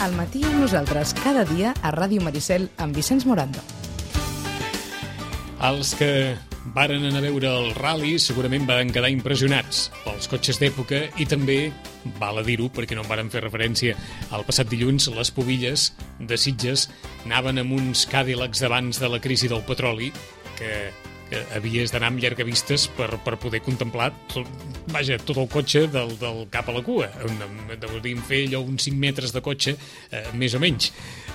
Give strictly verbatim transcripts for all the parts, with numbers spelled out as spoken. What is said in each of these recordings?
Al matí amb nosaltres, cada dia a Ràdio Maricel amb Vicenç Morando. Els que varen anar a veure el ral·li segurament van quedar impressionats pels cotxes d'època i també, val a dir-ho perquè no en varen fer referència al passat dilluns, les pubilles de Sitges anaven amb uns Cadillacs d'abans de la crisi del petroli que, que havies d'anar amb llargavistes per, per poder contemplar tot, vaja, tot el cotxe del, del cap a la cua. Hauríem fer allò uns cinc metres de cotxe, eh, més o menys.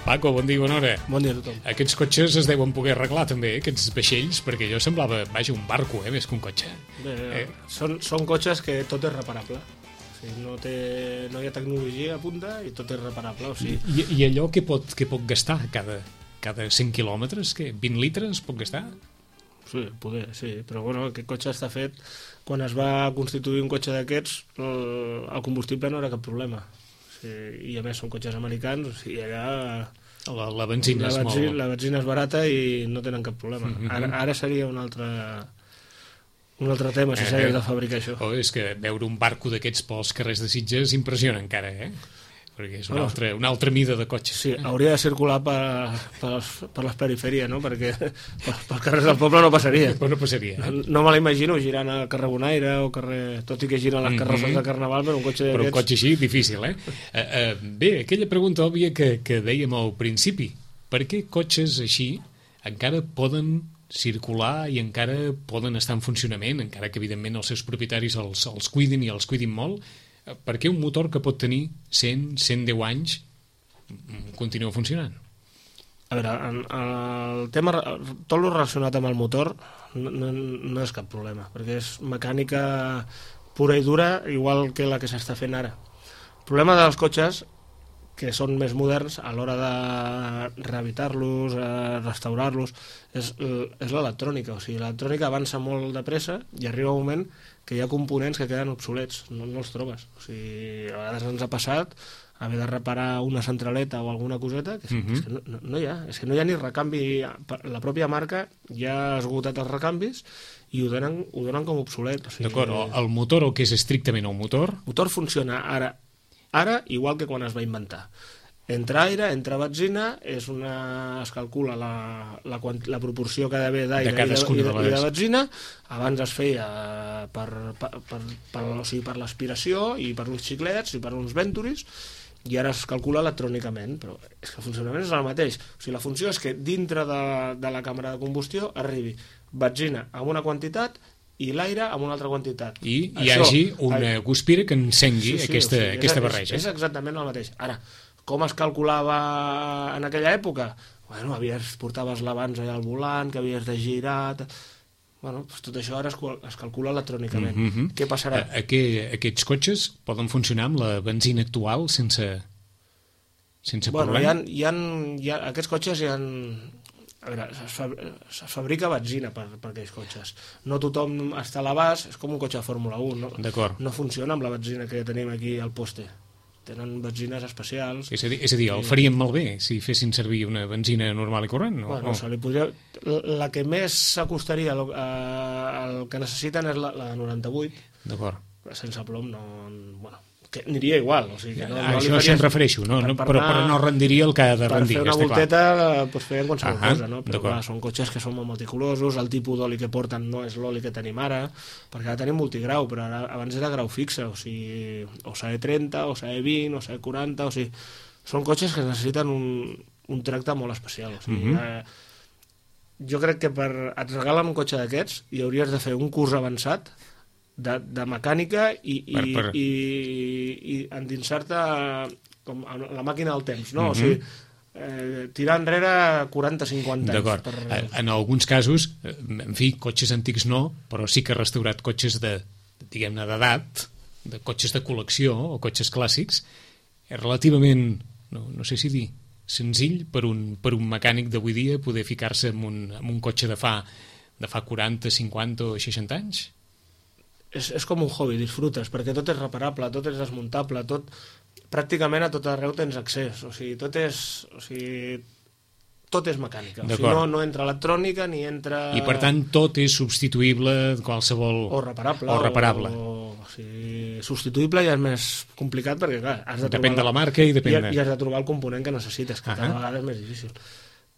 Paco, bon dia i bona hora. Bon dia a tothom. Aquests cotxes es deuen poder arreglar també, aquests vaixells, perquè allò semblava, vaja, un barco, eh, més que un cotxe. Bé, Eh. són, són cotxes que tot és reparable. O sigui, no, té, no hi ha tecnologia a punta i tot és reparable. O sigui, I, i allò què pot, què pot gastar cada, cada cent quilòmetres? Què, vint litres pot gastar? sí, poder, sí. Però bueno, aquest cotxe està fet... Quan es va constituir un cotxe d'aquests, el, el combustible no era cap problema. O sigui, I a més són cotxes americans, o sigui, allà... La, la benzina la, és benzina, molt... la benzina és barata i no tenen cap problema. Mm-hmm. Ara, ara seria un altre... un altre tema, si s'hagués de fabricar això. Oh, és que veure un barco d'aquests pels carrers de Sitges impressiona encara, eh? Perquè és una, Bueno, altra, una altra mida de cotxe. Sí, hauria de circular per, per, les, per les perifèries, no? Perquè per, per carrers del poble no passaria. Però no passaria, eh? No, no me l'imagino girant al carrer Bonaire o carrer... Tot i que giren les carrosses Mhm. de Carnaval, però un cotxe Però un d'aquests... cotxe així, difícil, eh? Uh, uh, bé, aquella pregunta òbvia que, que dèiem al principi. Per què cotxes així encara poden circular i encara poden estar en funcionament, encara que, evidentment, els seus propietaris els, els cuidin i els cuidin molt? Per què un motor que pot tenir cent, cent deu anys continua funcionant? A veure, en, el tema, tot el relacionat amb el motor no, no, no és cap problema, perquè és mecànica pura i dura, igual que la que s'està fent ara. El problema dels cotxes, que són més moderns, a l'hora de rehabilitar-los, eh, restaurar-los, és, és l'electrònica. O sigui, l'electrònica avança molt de pressa i arriba un moment que hi ha components que queden obsolets, no, no els trobes. O sigui, a vegades ens ha passat haver de reparar una centraleta o alguna coseta, que, és, Mhm. és que no, no, no hi ha, és que no hi ha ni recanvi. La pròpia marca ja ha esgotat els recanvis i ho donen, ho donen com obsolet. O sigui, D'acord, el motor, el que és estrictament el motor... el motor funciona ara, ara igual que quan es va inventar. Entra aire, entra benzina, és una, es calcula la, la, la proporció que ha d'haver d'aire De cadascuna i, de, de les- i de benzina. Abans es feia per, per, per, per, o sigui, per l'aspiració i per uns xiclets i per uns venturis, i ara es calcula electrònicament, però és que el funcionament és el mateix. O sigui, la funció és que dintre de, de la càmera de combustió arribi benzina amb una quantitat i l'aire amb una altra quantitat. I hi Això, hagi una guspira que encengui aquesta, o sigui, aquesta és, barreja. És, és exactament el mateix. Ara, com es calculava en aquella època? Bueno, havies, portaves l'abans allà al volant, que havies de girar... Bueno, doncs tot això ara es, es calcula electrònicament. Mhm. Què passarà? A, aqu aquests cotxes poden funcionar amb la benzina actual sense, sense Bueno, hi problema? ha, hi ha, hi ha, aquests cotxes hi ha... A veure, es, fa, es fabrica benzina per, per aquells cotxes. No tothom està a l'abast, és com un cotxe de Fórmula un. No, D'acord. no funciona amb la benzina que tenim aquí al poste. Tenen benzines especials. És a dir, és a dir el farien malbé si fessin servir una benzina normal i corrent? No? Bueno, se li podria... La que més s'acostaria al, al que necessiten és la, la de noranta-vuit. D'acord. Sense plom no... Bueno, que aniria igual. O sigui, que no, A no li això faries- se'n refereixo, no? per- no per però, anar- però no rendiria el que ha de Per rendir, fer una està clar. volteta pues, feien qualsevol Ahà, cosa, no? Però d'acord. clar, són cotxes que són molt multicolorosos, el tipus d'oli que porten no és l'oli que tenim ara, perquè ara tenim multigrau, però ara, abans era grau fixe, o sigui, o S A E trenta, o S A E vint, o S A E quaranta, o sigui, són cotxes que necessiten un, un tracte molt especial. O sigui, Mhm. eh, jo crec que per et regalen un cotxe d'aquests i hauries de fer un curs avançat de, de mecànica i, i, Per- per- i, i endinsar-te com a la màquina del temps, no? Mhm. O sigui, eh, tirar enrere quaranta cinquanta anys. D'acord. Per... En alguns casos, eh, en fi, cotxes antics no, però sí que ha restaurat cotxes de, diguem-ne, d'edat, de cotxes de col·lecció o cotxes clàssics, és relativament, no, no sé si dir, senzill per un, per un mecànic d'avui dia poder ficar-se en un, en un cotxe de fa, de fa quaranta, cinquanta o seixanta anys? És, és com un hobby, disfrutes, perquè tot és reparable, tot és desmuntable, tot, pràcticament a tot arreu tens accés, o sigui, tot és, o sigui, tot és mecànica, o sigui, no, no entra electrònica ni entra... I per tant tot és substituïble qualsevol... O reparable. O reparable. O, o sigui, substituïble ja és més complicat perquè, clar, has de depèn trobar... de la marca i depèn i, de... i has de trobar el component que necessites, que uh -huh. cada vegada és més difícil.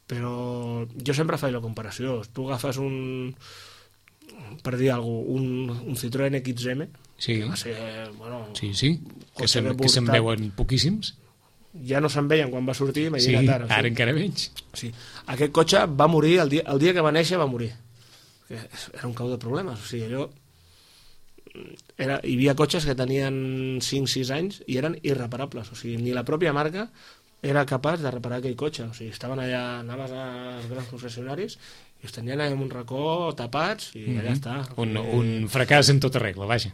Però jo sempre faig la comparació. Tu agafes un... per dir alguna cosa, un, un Citroën X M, sí. que va ser, bueno... Sí, sí, que se'n portat... se veuen poquíssims. Ja no se'n veien quan va sortir, imagina't sí, ara. ara sí. encara menys. Sí. Aquest cotxe va morir, el dia, el dia que va néixer va morir. Era un cau de problemes, o sigui, allò... Era, hi havia cotxes que tenien cinc sis anys i eren irreparables, o sigui, ni la pròpia marca era capaç de reparar aquell cotxe, o sigui, estaven allà, anaves als grans concessionaris i els tenien allà en un racó tapats i allà mm -hmm. està. Un, un fracàs en tota regla, vaja.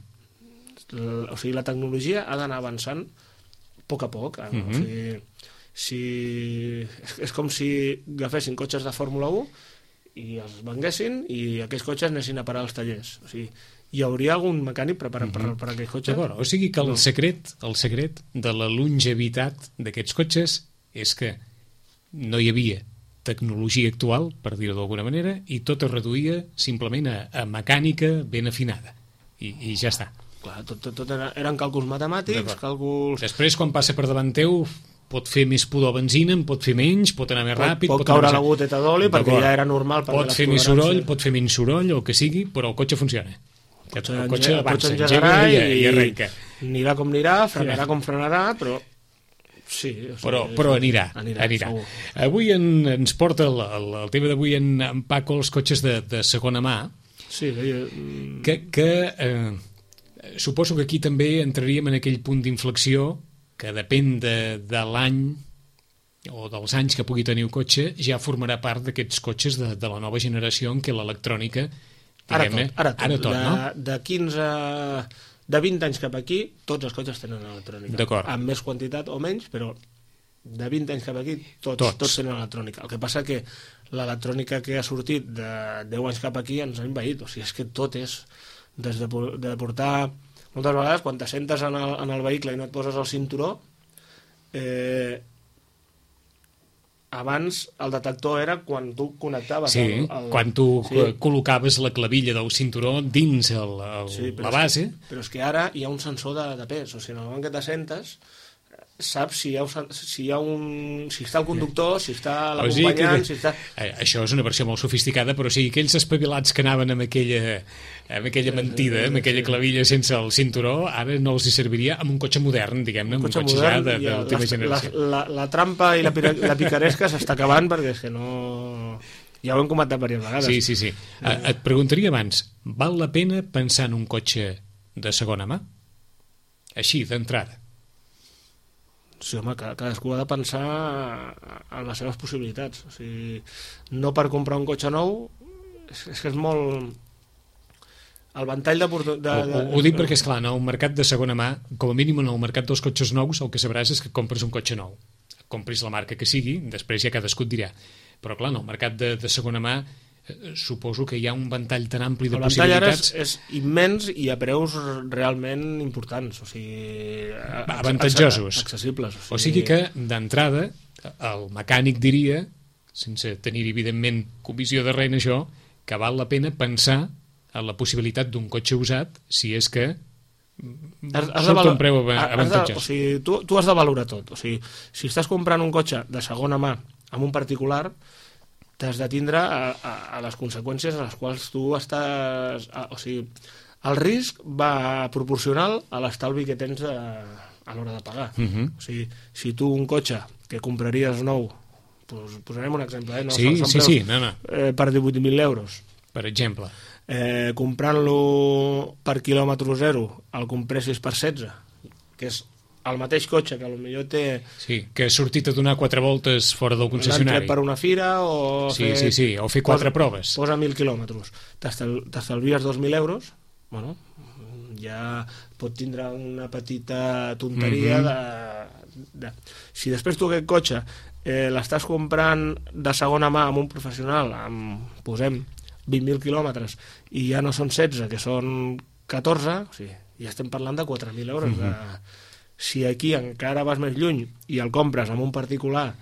O sigui, la tecnologia ha d'anar avançant a poc a poc. Eh? Mm -hmm. O sigui, si... és, és com si agafessin cotxes de Fórmula u i els venguessin i aquells cotxes anessin a parar als tallers. O sigui, hi hauria algun mecànic preparat mm -hmm. per, per aquells cotxes? D'acord, o sigui que el no. secret, el secret de la longevitat d'aquests cotxes és que no hi havia tecnologia actual, per dir-ho d'alguna manera, i tot es reduïa simplement a, a mecànica ben afinada. I, i ja està. Clar, tot, tot, tot era, eren càlculs matemàtics, càlculs... Després, quan passa per davant teu, pot fer més pudor benzina, en pot fer menys, pot anar més pot, ràpid... Pot, pot caure anar la goteta d'oli perquè ja era normal. Pot fer més soroll, pot fer menys soroll, o el que sigui, però el cotxe funciona. El cotxe, el cotxe avança, engega i, i, i arrenca. Anirà com anirà, frenarà com frenarà, però... Sí, o sigui, però, però anirà, anirà, anirà. Avui en, ens porta el, el, el tema d'avui en, en Paco els cotxes de, de segona mà, sí, jo... que, que eh, suposo que aquí també entraríem en aquell punt d'inflexió que depèn de, de l'any o dels anys que pugui tenir un cotxe, ja formarà part d'aquests cotxes de, de la nova generació en què l'electrònica, diguem-ne, ara tot, ara tot, ara tot de, no? de quinze... De vint anys cap aquí, tots els cotxes tenen electrònica. D'acord. Amb més quantitat o menys, però de vint anys cap aquí tots, tots. tots tenen electrònica. El que passa que l'electrònica que ha sortit de deu anys cap aquí ens ha envaït. O sigui, és que tot és des de, de portar... Moltes vegades, quan t'assentes en, el, en el vehicle i no et poses el cinturó, eh, abans el detector era quan tu connectaves sí, el, el... quan tu sí. col·locaves la clavilla del cinturó dins el, el, sí, la base. És que, però és que ara hi ha un sensor de, de pes, o sigui, en el moment que t'assentes saps si hi, ha, si hi ha un... si està el conductor, si està l'acompanyant, o sigui que, si està... Això és una versió molt sofisticada, però o sigui, aquells espavilats que anaven amb aquella, amb aquella mentida, amb aquella clavilla sense el cinturó, ara no els hi serviria amb un cotxe modern, diguem-ne, amb un cotxe, cotxe ja de, de l'última generació. La, la, la trampa i la, la picaresca s'està acabant perquè és que no... Ja ho hem comentat diverses vegades. Sí, sí, sí. Et preguntaria abans, val la pena pensar en un cotxe de segona mà? Així, d'entrada. Sí, home, cadascú ha de pensar en les seves possibilitats. O sigui, no per comprar un cotxe nou, és, és que és molt... El ventall de... de, de... Ho, ho dic perquè, esclar, en el mercat de segona mà, com a mínim en el mercat dels cotxes nous, el que sabràs és que compres un cotxe nou. Compris la marca que sigui, després ja cadascú et dirà. Però, clar, en el mercat de, de segona mà eh, suposo que hi ha un ventall tan ampli de possibilitats... El ventall ara és, és immens i a preus realment importants, o sigui... avantatjosos. Accessibles. O sigui, o sigui que, d'entrada, el mecànic diria, sense tenir evidentment comissió de res en això, que val la pena pensar en la possibilitat d'un cotxe usat si és que has, has surt de un preu avantatjós. O sigui, tu, tu has de valorar tot. O sigui, si estàs comprant un cotxe de segona mà amb un particular, t'has de tindre a, a, a les conseqüències a les quals tu estàs... A, o sigui, el risc va proporcional a l'estalvi que tens a, a l'hora de pagar. Uh -huh. O sigui, si tu un cotxe que compraries nou, pues, posarem un exemple, eh? No, sí, són, són sí, preus, sí, no, no. Eh, per divuit mil euros. Per exemple. Eh, comprant-lo per quilòmetre zero, el compressis per setze, que és el mateix cotxe que potser té... Sí, que ha sortit a donar quatre voltes fora del concessionari. L'han tret per una fira o... Sí, fer, sí, sí, o fer quatre posa, proves. Posa mil quilòmetres. T'estalvies dos mil euros, bueno, ja pot tindre una petita tonteria mm-hmm. de, de... Si després tu aquest cotxe eh, l'estàs comprant de segona mà amb un professional, amb, posem, vint mil quilòmetres, i ja no són setze, que són catorze, o sigui, ja estem parlant de quatre mil euros. Mm-hmm. de, si aquí encara vas més lluny i el compres amb un particular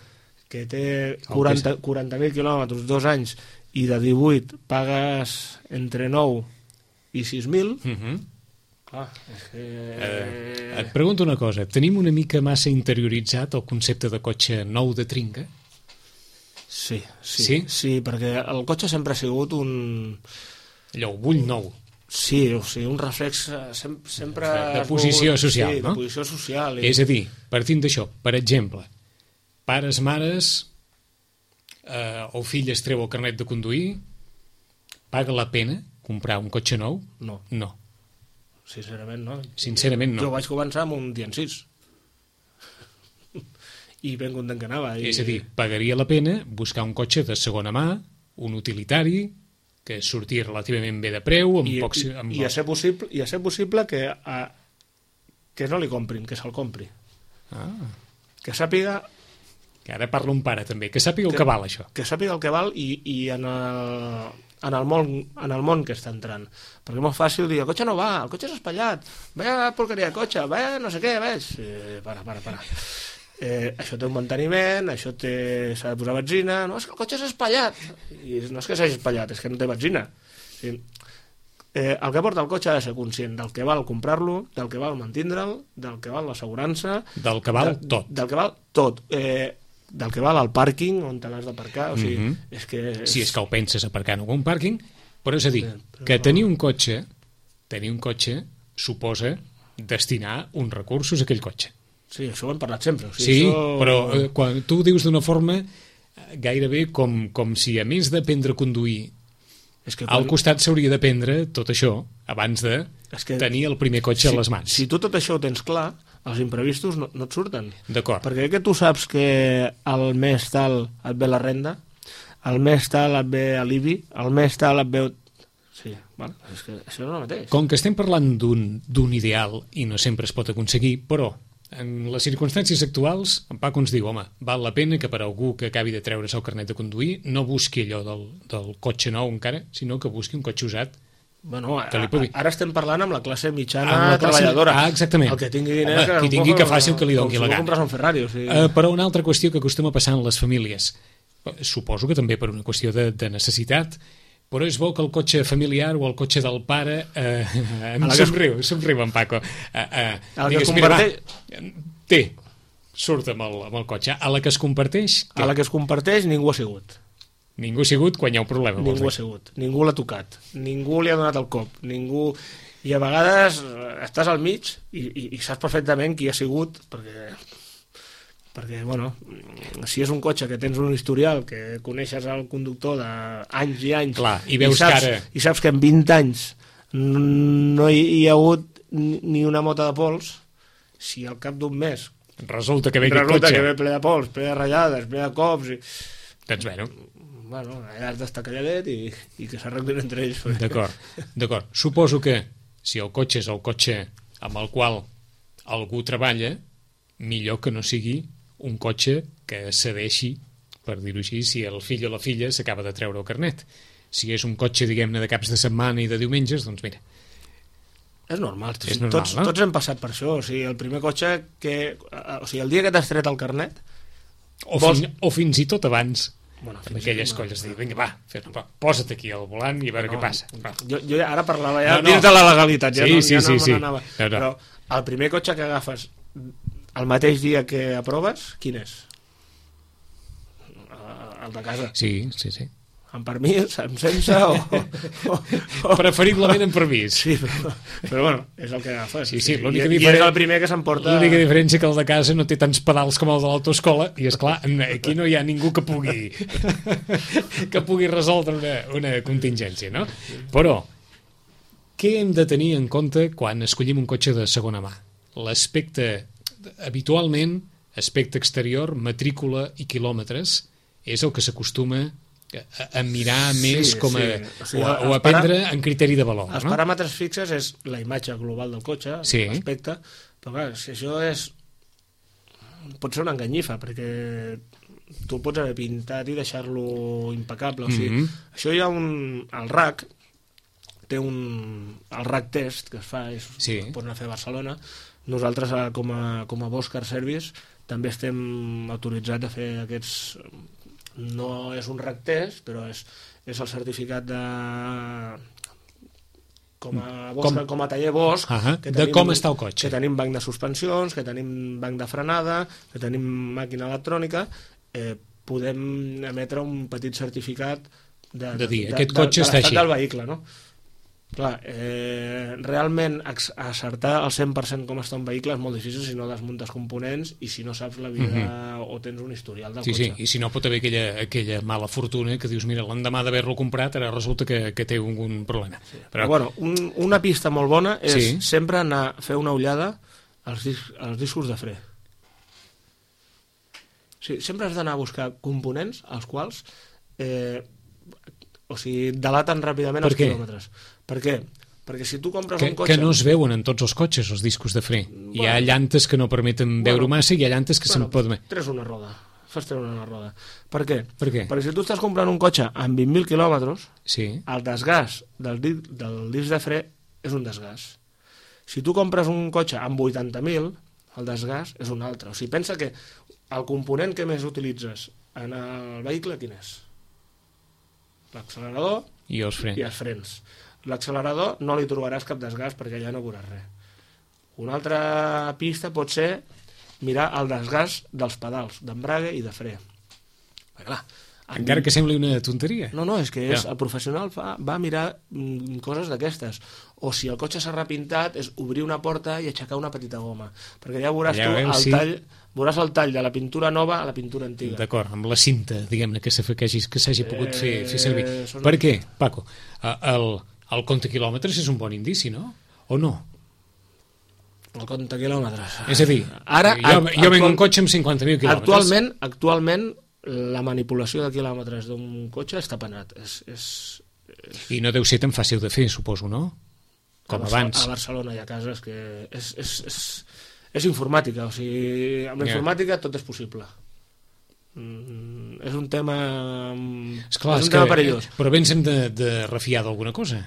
que té quaranta mil quilòmetres, dos anys, i de divuit pagues entre nou i sis mil, mm-hmm. Clar, és que... Eh, et pregunto una cosa, tenim una mica massa interioritzat el concepte de cotxe nou de trinca? Sí, sí, sí, sí, perquè el cotxe sempre ha sigut un... Allò, vull nou. Sí, o sigui, un reflex sem sempre... De posició volgut, social, sí, no? de posició social. I... És a dir, partint d'això, per exemple, pares, mares, eh, o fill es treu el carnet de conduir, paga la pena comprar un cotxe nou? No. No. Sincerament, no. Sincerament, no. Jo vaig començar amb un Tian sis. I ben content que anava. I... És a dir, pagaria la pena buscar un cotxe de segona mà, un utilitari, que sortia relativament bé de preu, amb I, pocs... i, Amb... i, a ser possible, i a ser possible que, a, que no li comprin, que se'l compri. Ah, Que sàpiga... que ara parla un pare també, que sàpiga el que, que val això. Que sàpiga el que val i, i en, el, en, el món, en el món que està entrant. Perquè és molt fàcil dir, el cotxe no va, el cotxe és espatllat, vaya porqueria de cotxe, vaya no sé què, veig... Eh, para, para, para. Eh, això té un manteniment, això s'ha de posar benzina, no, és que el cotxe és espatllat. I no és que s'hagi espatllat, és que no té benzina. Sí. Eh, el que porta el cotxe ha de ser conscient del que val comprar-lo, del que val mantindre'l, del que val l'assegurança... Del que val de, tot. Del que val tot. Eh, del que val el pàrquing, on te l'has d'aparcar, o sigui, mm -hmm. és que... És... Si és que ho penses aparcar en algun pàrquing, però és a dir, Sí, però que no. tenir un cotxe, tenir un cotxe suposa destinar uns recursos a aquell cotxe. Sí, això ho hem parlat sempre. O sigui, Sí, això... però eh, quan tu ho dius d'una forma eh, gairebé com, com si a més d'aprendre a conduir és que al costat s'hauria d'aprendre tot això abans de És que tenir el primer cotxe si, a les mans. Si tu tot això ho tens clar, els imprevistos no, no et surten. D'acord. Perquè que tu saps que al mes tal et ve la renda, al mes tal et ve l'I B I, al mes tal et ve... Sí, bueno, és que això no és el mateix. Com que estem parlant d'un d'un ideal i no sempre es pot aconseguir, però en les circumstàncies actuals, en Paco ens diu, home, val la pena que per algú que acabi de treure's el carnet de conduir no busqui allò del, del cotxe nou encara, sinó que busqui un cotxe usat. Bueno, a, que li pugui... ara estem parlant amb la classe mitjana Amb la classe- treballadora. Ah, exactament. El que tingui diners... Home, qui tingui que faci el que li doni la gana. gana. Com si compres un Ferrari, o sigui... Uh, però una altra qüestió que acostuma a passar en les famílies, suposo que també per una qüestió de, de necessitat, però és bo que el cotxe familiar o el cotxe del pare eh, em que es- somriu, somriu en Paco. Uh, uh, A la que digues, es mira, va, converteix- té, surt amb el, amb el cotxe. A la que es comparteix, A la que es comparteix ningú ha sigut. ningú ha sigut quan hi ha un problema. vols Ningú ha dir. sigut, ningú l'ha tocat, ningú li ha donat el cop, ningú... I a vegades eh, estàs al mig i, i, i saps perfectament qui ha sigut, perquè, perquè, bueno, si és un cotxe que tens un historial, que coneixes el conductor d'anys i anys, Clar, i veus saps, que ara- i saps que en vint anys no hi, hi ha hagut ni ni una mota de pols, si al cap d'un mes Resulta que ve aquest resulta cotxe. que ve ple de pols, ple de ratllades, ple de cops... I... Doncs bueno, Bueno, allà has d'estar calladet i, i que s'arreglin entre ells. perquè- d'acord, d'acord. Suposo que si el cotxe és el cotxe amb el qual algú treballa, millor que no sigui un cotxe que cedeixi, per dir-ho així, si el fill o la filla s'acaba de treure el carnet. Si és un cotxe, diguem-ne, de caps de setmana i de diumenges, doncs mira, És normal, És normal, tots, no? tots hem passat per això. O sigui, el primer cotxe que... O sigui, el dia que t'has tret el carnet... o, Vols- fin, o fins i tot abans, Bueno, amb fins aquelles i- colles, dir, vinga, va, fes, va, posa't aquí al volant i a veure què passa. Va. Jo, jo ja ara parlava ja No, no. dins de la legalitat, ja Sí, no, sí, ja sí, no sí. me n'anava. No, no. Però el primer cotxe que agafes el mateix dia que aproves, quin és? El de casa. Sí, sí, sí. Amb permís, amb sense o... o, o Preferiblement amb permís. Sí, però, però bueno, és el que agafes. Sí, sí, I, l'única i diferen- és el primer que s'emporta... L'única diferència que el de casa no té tants pedals com el de l'autoescola i, és clar aquí no hi ha ningú que pugui que pugui resoldre una, una contingència, no? Però, què hem de tenir en compte quan escollim un cotxe de segona mà? L'aspecte, habitualment, aspecte exterior, matrícula i quilòmetres, és el que s'acostuma a, a mirar Sí, més com a, sí. O sigui, o, a, o els a prendre para- en criteri de valor, Els no? paràmetres fixes és la imatge global del cotxe, Sí. l'aspecte, però clar, si això és... pot ser una enganyifa, perquè tu el pots haver pintat i deixar-lo impecable. O sigui, Mhm. això hi ha un... El R A C té un... El R A C test que es fa, és, Sí. el pots anar a fer a Barcelona. Nosaltres, eh, com a, com a Bosch Car Service, també estem autoritzats a fer aquests... No és un R A C test, però és, és el certificat de com a, Bosch, com... com a taller Bosch, uh-huh. que de tenim, com està el cotxe. Que tenim banc de suspensions, que tenim banc de frenada, que tenim màquina electrònica, eh, podem emetre un petit certificat de, de dir, de, aquest de, cotxe de, està de així. del vehicle, no? Clar, eh, realment acertar al cent per cent com està un vehicle és molt difícil si no desmuntes components i si no saps la vida mm-hmm. o tens un historial del sí, cotxe. Sí, i si no pot haver aquella, aquella mala fortuna que dius, mira, l'endemà d'haver-lo comprat ara resulta que, que té un problema. Sí. Però, Però bueno, un, una pista molt bona és sí. sempre anar a fer una ullada als, dis, als discos de fre. Sí, sempre has d'anar a buscar components als quals eh, o sigui, delaten ràpidament els quilòmetres. Per què? Perquè si tu compres que, un cotxe... Que no es veuen en tots els cotxes, els discos de fre. Bueno, hi ha llantes que no permeten bueno, veure massa i hi ha llantes que bueno, se'n poden... Tres una roda. Fas treure una roda. Per què? Per què? Perquè si tu estàs comprant un cotxe amb vint mil quilòmetres, sí. el desgast del, del disc de fre és un desgast. Si tu compres un cotxe amb vuitanta mil, el desgast és un altre. O sigui, pensa que el component que més utilitzes en el vehicle, quin és? L'accelerador i els frens. I els frens. L'accelerador no li trobaràs cap desgast perquè ja no veuràs res. Una altra pista pot ser mirar el desgast dels pedals, d'embrague i de fre. Perquè, clar, encara que sembli una tonteria. No, no, és que és, ja. El professional fa, va mirar mm, coses d'aquestes. O si el cotxe s'ha repintat, és obrir una porta i aixecar una petita goma. Perquè ja veuràs ja tu el sí. tall... Veuràs el tall de la pintura nova a la pintura antiga. D'acord, amb la cinta, diguem-ne, que s'hagi pogut fer, fer servir. Eh, són... Per què, Paco? El, el compte quilòmetres és un bon indici, no? O no? El compte quilòmetres... És a dir, ara, jo, jo actual... venc un cotxe amb cinquanta mil quilòmetres. Actualment, actualment, la manipulació de quilòmetres d'un cotxe està penat. És, és, és... I no deu ser tan fàcil de fer, suposo, no? Com a abans. A Barcelona hi ha cases que... És... és, és... És informàtica, o sigui, amb la informàtica tot és possible. Mm, és un tema, Esclar, és un és tema que, perillós. Però bé ens hem de, de refiar d'alguna cosa.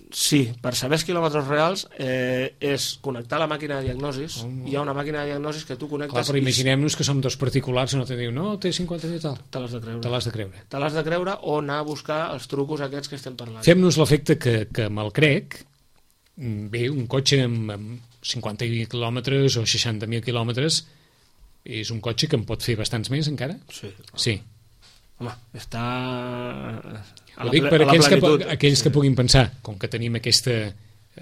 Sí, per saber els quilòmetres reals eh, és connectar la màquina de diagnosis. Oh. Hi ha una màquina de diagnosis que tu connectes... Clar, però imaginem-nos que som dos particulars i no te diu, no, té cinquanta mil tal. Te l'has de creure. Te l'has de creure. Te l'has de creure o anar a buscar els trucos aquests que estem parlant. Fem-nos l'efecte que, que me'l crec, bé, un cotxe amb, amb cinquanta mil quilòmetres o seixanta mil quilòmetres és un cotxe que en pot fer bastants més encara? Sí. Sí. Home, està... Ho dic per aquells que, aquells que puguin pensar, com que tenim aquesta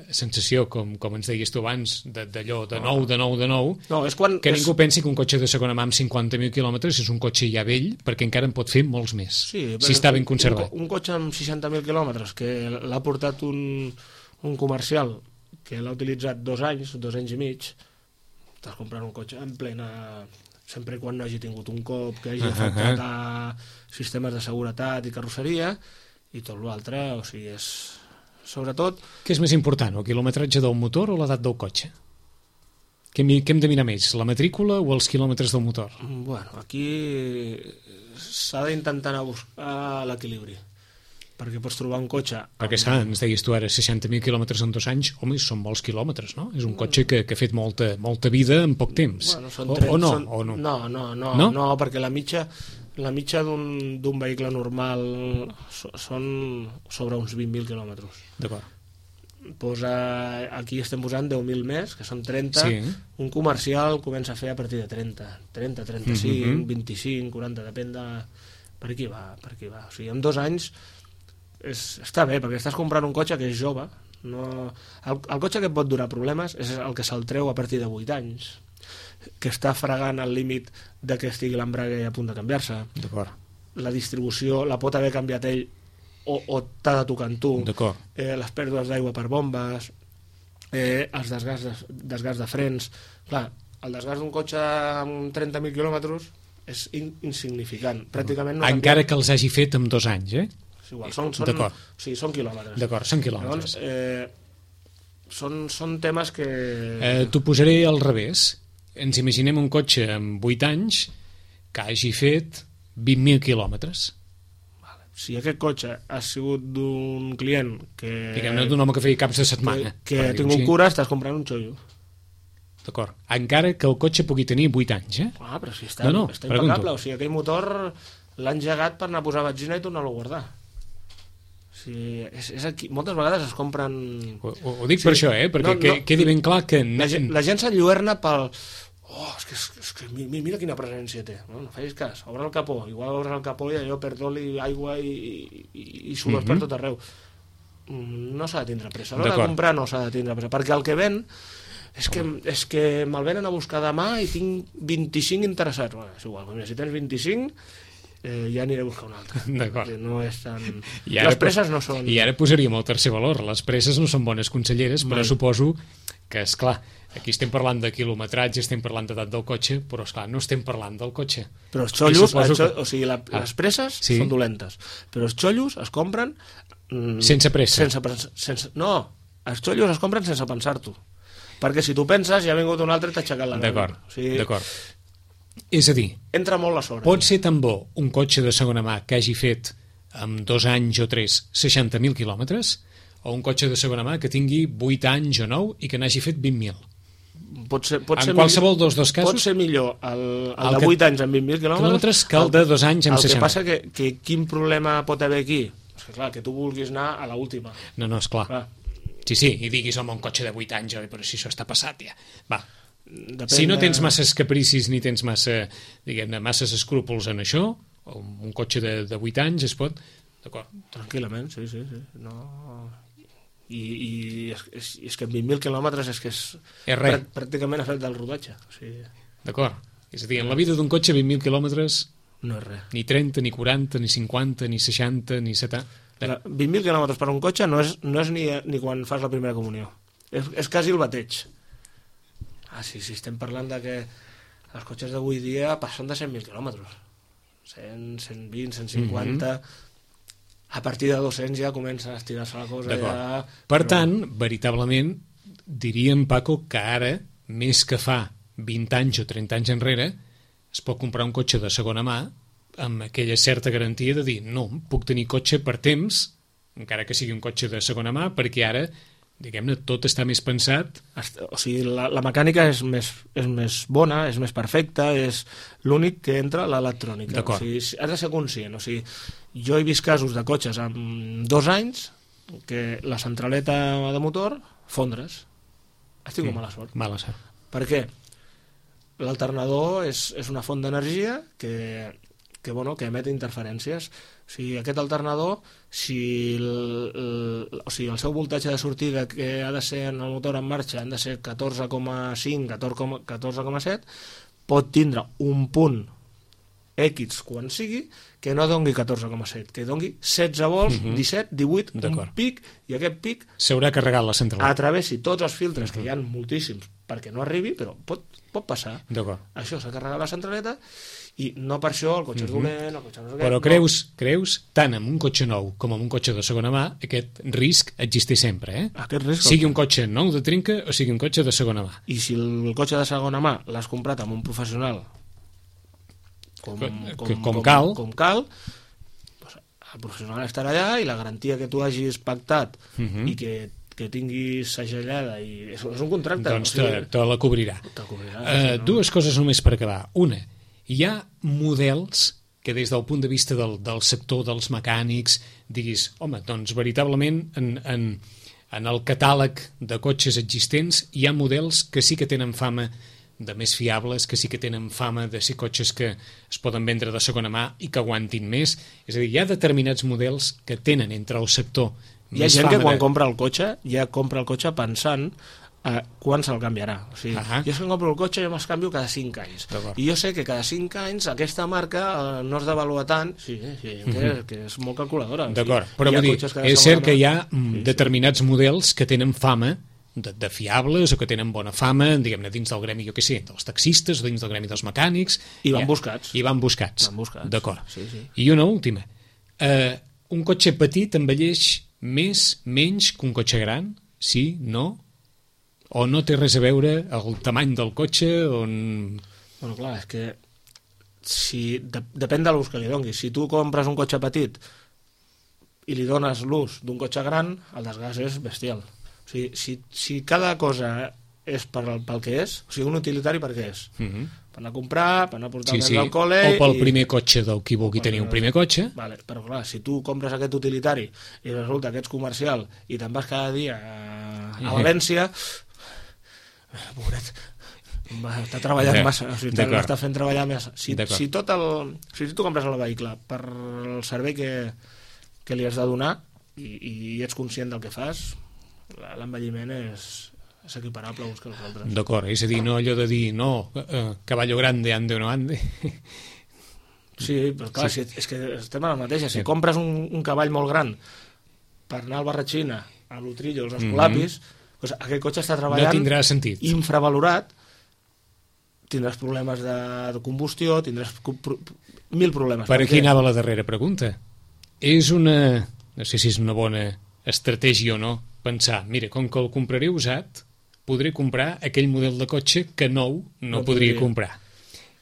sensació, com, com ens deies tu abans, d'allò, de nou, de nou, de nou, no, és quan que és... ningú pensi que un cotxe de segona mà amb cinquanta mil quilòmetres és un cotxe ja vell, perquè encara en pot fer molts més, sí, si està ben conservat. Un, un cotxe amb seixanta mil quilòmetres que l'ha portat un, un comercial que l'ha utilitzat dos anys, dos anys i mig, estàs comprant un cotxe en plena... sempre i quan no hagi tingut un cop, que hagi uh -huh. afectat a sistemes de seguretat i carrosseria, i tot l'altre, o sigui, és... sobretot... Què és més important, el quilometratge del motor o l'edat del cotxe? Què hem, què hem de mirar més, la matrícula o els quilòmetres del motor? Bueno, aquí s'ha d'intentar anar a buscar l'equilibri, perquè pots trobar un cotxe... Perquè s'ha, ens deies tu ara, seixanta mil quilòmetres en dos anys, home, són molts quilòmetres, no? És un cotxe que, que ha fet molta, molta vida en poc temps. Bueno, són o, trenta, o, no, són, o no? No, no, no, no? no, perquè la mitja, la mitja d'un d'un vehicle normal són sobre uns vint mil quilòmetres. D'acord. Posa, aquí estem posant deu mil més, que són trenta. Sí. Un comercial comença a fer a partir de trenta. trenta, trenta-cinc, mm-hmm. vint-i-cinc, quaranta, depèn de... Per aquí va, per aquí va. O sigui, en dos anys... És, està bé, perquè estàs comprant un cotxe que és jove. No, el, el cotxe que et pot donar problemes és el que se'l treu a partir de vuit anys, que està fregant al límit de que estigui l'embrague a punt de canviar-se. D'acord. La distribució la pot haver canviat ell o, o t'ha de tocar en tu. D'acord. Eh, les pèrdues d'aigua per bombes, eh, els desgasts de, desgasts de frens. Clar, el desgast d'un cotxe amb trenta mil quilòmetres és in, insignificant. Pràcticament no encara canvia... que els hagi fet amb dos anys, eh? És igual, són, són, o sigui, són quilòmetres. D'acord, són quilòmetres. Llavors, eh, són, són temes que... Eh, T'ho posaré al revés. Ens imaginem un cotxe amb vuit anys que hagi fet vint mil quilòmetres. Vale. Si aquest cotxe ha sigut d'un client que... Diguem-ne d'un home que feia caps de setmana. Que, que ha tingut cura, estàs comprant un xollo. D'acord. Encara que el cotxe pugui tenir vuit anys, eh? Ah, però si està, no, no, està impecable. O sigui, aquell motor l'ha engegat per anar a posar benzina i tornar-lo a guardar. Sí, és, és aquí. Moltes vegades es compren... Ho, ho dic sí. per això, eh? Perquè no, no, quedi ben clar que... La, gent, la gent s'enlluerna pel... Oh, és que, és que mira quina presència té. No, no facis cas, obre el capó. Igual obres el capó i allò perd oli, aigua i, i, i sudors mm-hmm. per tot arreu. No s'ha de tindre pressa. A l'hora de comprar no s'ha de tindre pressa. Perquè el que ven és que, és que me'l venen a buscar demà i tinc vint-i-cinc interessats. Bueno, és igual, si tens vint-i-cinc... Eh, ja aniré a buscar un altre. D'acord. No és tan... Les presses no són... I ara posaríem el tercer valor. Les presses no són bones conselleres, però Mai. suposo que, és clar, aquí estem parlant de quilometratge, estem parlant d'edat del cotxe, però, és clar, no estem parlant del cotxe. Però els xollos, el xo... que... o sigui, la, ah. les presses sí? són dolentes, però els xollos es compren... Mm, sense pressa. Sense, sense, no, els xollos es compren sense pensar-t'ho. Perquè si tu penses, ja ha vingut un altre i t'ha aixecat la nau. D'acord, o sigui, d'acord. És a dir, entra molt la sort. Pot ser tan bo un cotxe de segona mà que hagi fet amb dos anys o tres seixanta mil quilòmetres o un cotxe de segona mà que tingui vuit anys o nou i que n'hagi fet vint mil. Pot ser, pot en ser qualsevol millor, dels dos casos... Pot ser millor el, el, el de vuit que, anys amb vint mil quilòmetres que el de dos anys amb el seixanta. El que passa que, que quin problema pot haver aquí? És que clar, que tu vulguis anar a l'última. No, no, esclar. clar. Sí, sí, i diguis, home, un cotxe de vuit anys, però si això està passat ja. Va, Depèn si no tens de... masses capricis ni tens massa, diguem-ne, masses escrúpols en això, o un cotxe de, de vuit anys es pot... D'acord. Tranquil·lament, sí, sí, sí. No... I, i és, és, és que en vint mil quilòmetres és que és, és res. pràcticament ha fet del rodatge. O sigui... D'acord. És a dir, en la vida d'un cotxe vint mil quilòmetres... No és res. Ni trenta, ni quaranta, ni cinquanta, ni seixanta, ni setanta... vint mil quilòmetres per un cotxe no és, no és ni, ni quan fas la primera comunió. És, és quasi el bateig. Ah, sí, sí, estem parlant de que els cotxes d'avui dia passen de cent mil quilòmetres. cent, cent vint, cent cinquanta... Mm-hmm. A partir de dos-cents ja comença a estirar-se la cosa. Ja... Per però... tant, veritablement, diríem, Paco, que ara, més que fa vint anys o trenta anys enrere, es pot comprar un cotxe de segona mà amb aquella certa garantia de dir no, puc tenir cotxe per temps, encara que sigui un cotxe de segona mà, perquè ara, diguem-ne, tot està més pensat. O sigui, la, la mecànica és més, és més bona, és més perfecta, és l'únic que entra l'electrònica. O sigui, has de ser conscient. O sigui, jo he vist casos de cotxes amb dos anys que la centraleta de motor fondre's. Has tingut sí, mala sort. Mala sort. Per què? L'alternador és, és una font d'energia que, que, bueno, que emet interferències. O sigui, aquest alternador, si el, el, o sigui, el seu voltatge de sortida que ha de ser en el motor en marxa han de ser catorze coma cinc, catorze coma set, pot tindre un punt X quan sigui que no dongui catorze coma set, que dongui setze volts, uh-huh. disset, divuit, un pic, i aquest pic s'haurà carregat la central. Atravessi tots els filtres, uh-huh. que hi ha moltíssims, perquè no arribi, però pot, pot passar. Això s'ha carregat la centraleta i no per això el cotxe és uh-huh. dolent, el cotxe no és aquest, però creus, no. creus, tant amb un cotxe nou com amb un cotxe de segona mà, aquest risc existeix sempre, eh? Aquest risc, sigui un cotxe nou de trinca o sigui un cotxe de segona mà. I si el cotxe de segona mà l'has comprat amb un professional com, com, com, com com cal, com cal doncs el professional estarà allà i la garantia que tu hagis pactat uh-huh. i que que tinguis segellada i és un contracte, doncs o sigui, te, te la cobrirà, te cobrirà uh, sí, no? Dues coses només per acabar. Una, hi ha models que des del punt de vista del, del sector dels mecànics diguis, home, doncs veritablement en, en, en el catàleg de cotxes existents hi ha models que sí que tenen fama de més fiables, que sí que tenen fama de ser cotxes que es poden vendre de segona mà i que aguantin més. És a dir, hi ha determinats models que tenen entre el sector hi ha gent que quan de... compra el cotxe ja compra el cotxe pensant eh, quan se'l canviarà. O sigui, uh-huh. jo si compro el cotxe jo me'ls canvio cada cinc anys. I jo sé que cada cinc anys aquesta marca eh, no es devalua tant. Sí, sí, uh-huh. que, que és molt calculadora. D'acord, o sigui, però vull dir, és cert que hi ha sí, determinats sí. models que tenen fama de, de fiables o que tenen bona fama, diguem-ne, dins del gremi, jo què sé, dels taxistes o dins del gremi dels mecànics. I van ja, buscats. I van buscats. Van buscats. D'acord. Sí, sí. I una última. Eh, un cotxe petit envelleix més, menys que un cotxe gran? Sí? No? O no té res a veure el tamany del cotxe? On... Bueno, clar, és que si, de, depèn de l'ús que li donis. Si tu compres un cotxe petit i li dones l'ús d'un cotxe gran, el desgast és bestial. O sigui, si, si cada cosa és per, pel que és, o sigui, un utilitari per què és? Uh-huh. per anar a comprar, per anar a portar sí, el nen sí. al col·le... O pel i... primer cotxe del qui vulgui tenir un primer cotxe. Vale, però clar, si tu compres aquest utilitari i resulta que ets comercial i te'n vas cada dia a, a València, pobret, està treballant massa, o sigui, està fent treballar massa. Si, si, tot el, si tu compres el vehicle per el servei que, que li has de donar i, i ets conscient del que fas, l'envelliment és... és equiparable uns que els altres. D'acord, és a dir, no allò de dir no, eh, caballo grande, ande o no ande. Sí, però clar, sí. Si, és que estem a la mateixa. Si sí. compres un, un cavall molt gran per anar al Barratxina, a l'Utrillo, als Escolapis, mm-hmm. doncs aquest cotxe està treballant... No tindrà sentit. Infravalorat, tindràs problemes de, de combustió, tindràs pro, mil problemes. Per aquí anava la darrera pregunta. És una... no sé si és una bona estratègia o no, pensar, mira, com que el compraré usat, podré comprar aquell model de cotxe que nou no, no podria comprar.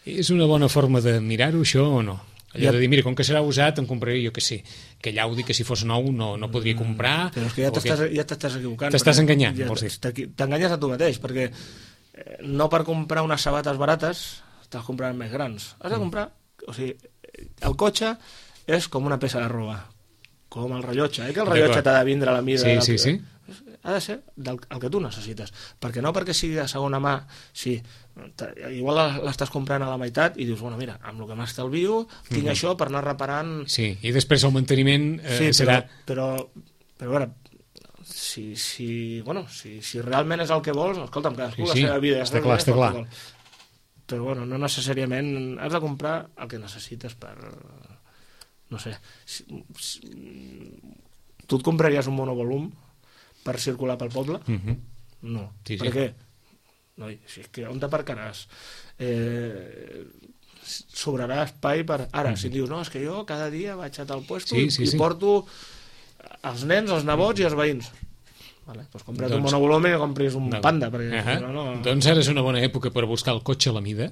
És una bona forma de mirar-ho, això, o no? Allò ja. de dir, mira, com que serà usat, em compraré, jo què sé, aquell Audi que si fos nou no, no podria comprar... Però és que ja t'estàs que... ja t'estàs equivocant. T'estàs enganyant, ja vols dir? T'enganyes a tu mateix, perquè no per comprar unes sabates barates t'has comprant més grans. Has de comprar... O sigui, el cotxe és com una peça de roba, com el rellotge, eh? Que el rellotge t'ha de vindre a la mida... Sí, sí, sí. Ha de ser del, el que tu necessites, perquè no perquè sigui de segona mà, sí, igual l'estàs comprant a la meitat i dius, bueno, mira, amb el que m'estalvio tinc mm-hmm. això per anar reparant... Sí, i després el manteniment eh, sí, serà... Però, però, però a veure, si, si, bueno, si, si realment és el que vols, escolta'm, cadascú sí, sí, la seva vida... Està clar, està clar. Però, bueno, no necessàriament has de comprar el que necessites per... No sé... Si, si, tu et compraries un monovolum per circular pel poble? Mm-hmm. No. Sí, per sí. què? No, si és que on t'aparcaràs? Eh, sobrarà espai per... Ara, mm-hmm. si dius, no, és que jo cada dia vaig a tal puesto sí, sí, i sí. porto els nens, els nebots i els veïns. Vale, doncs compra't doncs, un monovolum i compris un no. Panda. Perquè, uh-huh. no, no... Doncs ara és una bona època per buscar el cotxe a la mida,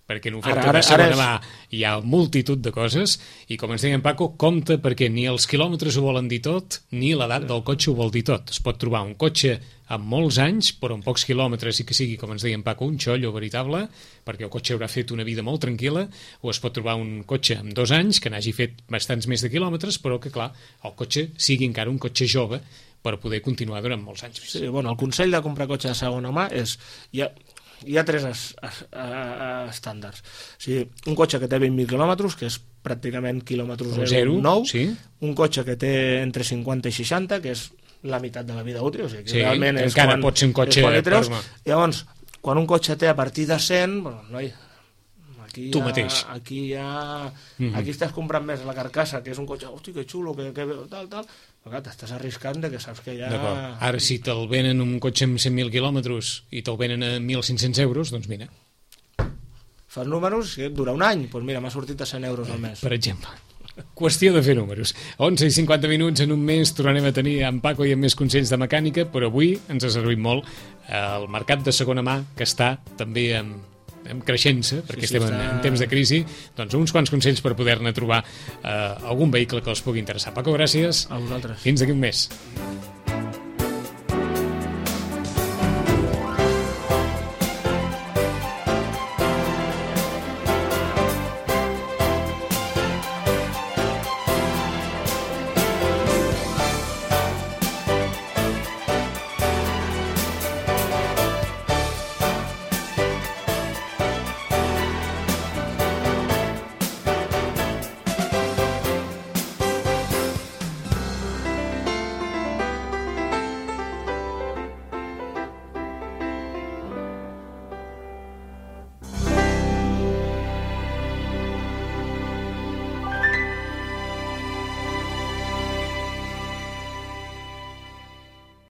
perquè en oferta ara, ara, de segona és... mà hi ha multitud de coses, i com ens deia en Paco, compte perquè ni els quilòmetres ho volen dir tot, ni l'edat del cotxe ho vol dir tot. Es pot trobar un cotxe amb molts anys, però amb pocs quilòmetres i que sigui, com ens deia en Paco, un xollo veritable, perquè el cotxe haurà fet una vida molt tranquil·la, o es pot trobar un cotxe amb dos anys, que n'hagi fet bastants més de quilòmetres, però que, clar, el cotxe sigui encara un cotxe jove per poder continuar durant molts anys més. Sí, bueno, el consell de comprar cotxe de segona mà és... Ja... Hi ha tres es, es, es, estàndards. O sigui, un cotxe que té vint mil quilòmetres, que és pràcticament quilòmetres zero, nou, sí. Un cotxe que té entre cinquanta i seixanta, que és la meitat de la vida útil, o sigui, que sí, realment és encara quan, pot ser un cotxe treus. Llavors, quan un cotxe té a partir de cent, bueno, noi, aquí tu ja, mateix. Aquí ja... Mm-hmm. Aquí estàs comprant més la carcassa, que és un cotxe, hosti, que xulo, que, que tal, tal... Però clar, t'estàs arriscant de que saps que ja... D'acord. Ara, si te'l venen un cotxe amb cent mil quilòmetres i te'l venen a mil cinc-cents euros, doncs mira. Fas números, que dura un any, doncs mira, m'ha sortit a cent euros al mes. Per exemple. Qüestió de fer números. onze i cinquanta minuts en un mes tornarem a tenir en Paco i amb més consells de mecànica, però avui ens ha servit molt el mercat de segona mà, que està també amb... en creixent-se, perquè sí, sí, estem en, està... en temps de crisi, doncs uns quants consells per poder-ne trobar eh, algun vehicle que els pugui interessar. Paco, gràcies. A vosaltres. Fins d'aquí un mes.